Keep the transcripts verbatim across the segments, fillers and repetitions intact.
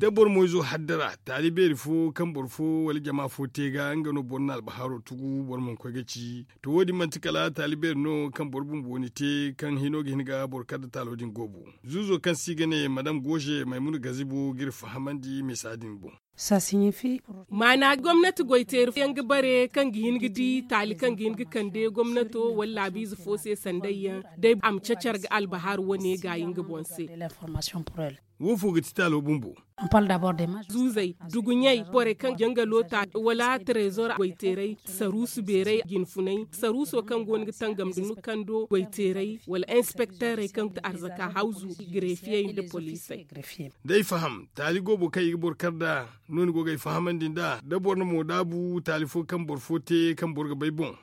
da boro mo izo haddara taali beeri fo kaŋ boro fo wala jama fo te ga nga no boro na albahaaro tugu boro mana koy ga ci. To wo- din manti kala taali beeri no kaŋ boro bumbo ni te kaŋ hino ga hin ga boro kar nda taalo din goobo. Zuuzo kaŋ se i ga ne madam gooze maymuna gazibo ga iri fahamandi misa din boŋ. Maana gomnati goy teeri yaŋ ga bare kaŋ ga hin ga di taali kaŋ ga hin ga kande gomnato wala laabiize fo se sanday yaŋ day a ma cacar ga albahaar wane gaayi nga boŋ se. Wo fo ga ti taalo bumbo? Zuuzey, duguɲey, borey kaŋ jangalo ta wala trezor goy teeray saruusu beeray jinfunay saruuso kaŋ go no ga tangam da ni kando goy teeray wala inspekteerey kaŋ ga ti arzaka hawzu, grefiyey nda poliisey. Day faham taali goobo kaŋ i ga boro kar nd'a no ni go ga ay fahamandi nd'a da boro na mo daabu taali fo kaŋ boro fo te kaŋ boro ga bay boŋ.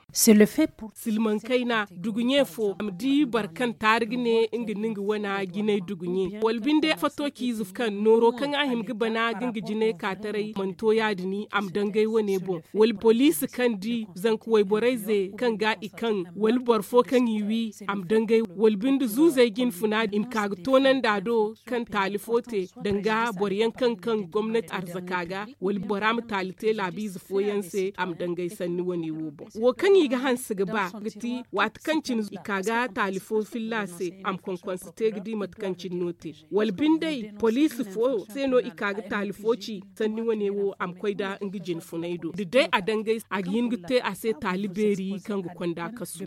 Silmaŋ kayna duguɲe fo a ma di boro kaŋ taari ga ne nga no nga wana jinay duguɲe wala binde fato ciize kaŋ nooro kaŋ a hima ga bana ga nga jinay ka taray mana to ya- din a ma dangay wane boŋ wala poliisi kaŋ di zanka wayborey ze kaŋ ga i kaŋ wala boro fo kaŋ i wi a ma dangay wala binde zuuzey jinfuna i ma ka ga toonandi a do kaŋ taali fo te danga boro yaŋ kaŋ kaŋ gomnati arzaka ga wala bora ma taali te laabiize fooyaŋ se a ma dangay sanni wane wo boŋ wo kaŋ i ga hanse ga ba ga ti waati kaŋ cine i ka ga taali fo filla se a ma konkonse te ga di mate kaŋ cine no te wala binde poliisi fo se no i ka ga taali fo ci sanni wane wo a ma koy nda nga jinfunay do da day a dangay a ga hin ga te a se taali beeri kaŋ ga konda kasu.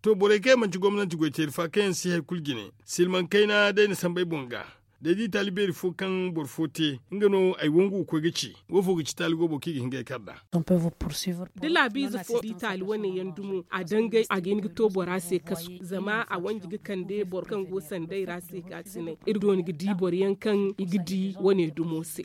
To borey kaŋ yaŋ manti gomnanti goy teeri fa kaŋ yaŋ si hari kulu jine silmaŋ kayna day na samba ay boŋ ga. Da ay di taali beeri fo kaŋ boro fo te nga no ay wangu ga koy ga ci wo fo ga ci taali goobo kaŋ i ga hin ga ay kar nd'a? Da laabiize fo di taali wane yaŋ dumo a dangay a ga hin ga to bora se kasu zama a wanji ga kande boro kaŋ go sanday ra se ka sinay iri dooni ga di boro yaŋ kaŋ i ga di wane dumo se.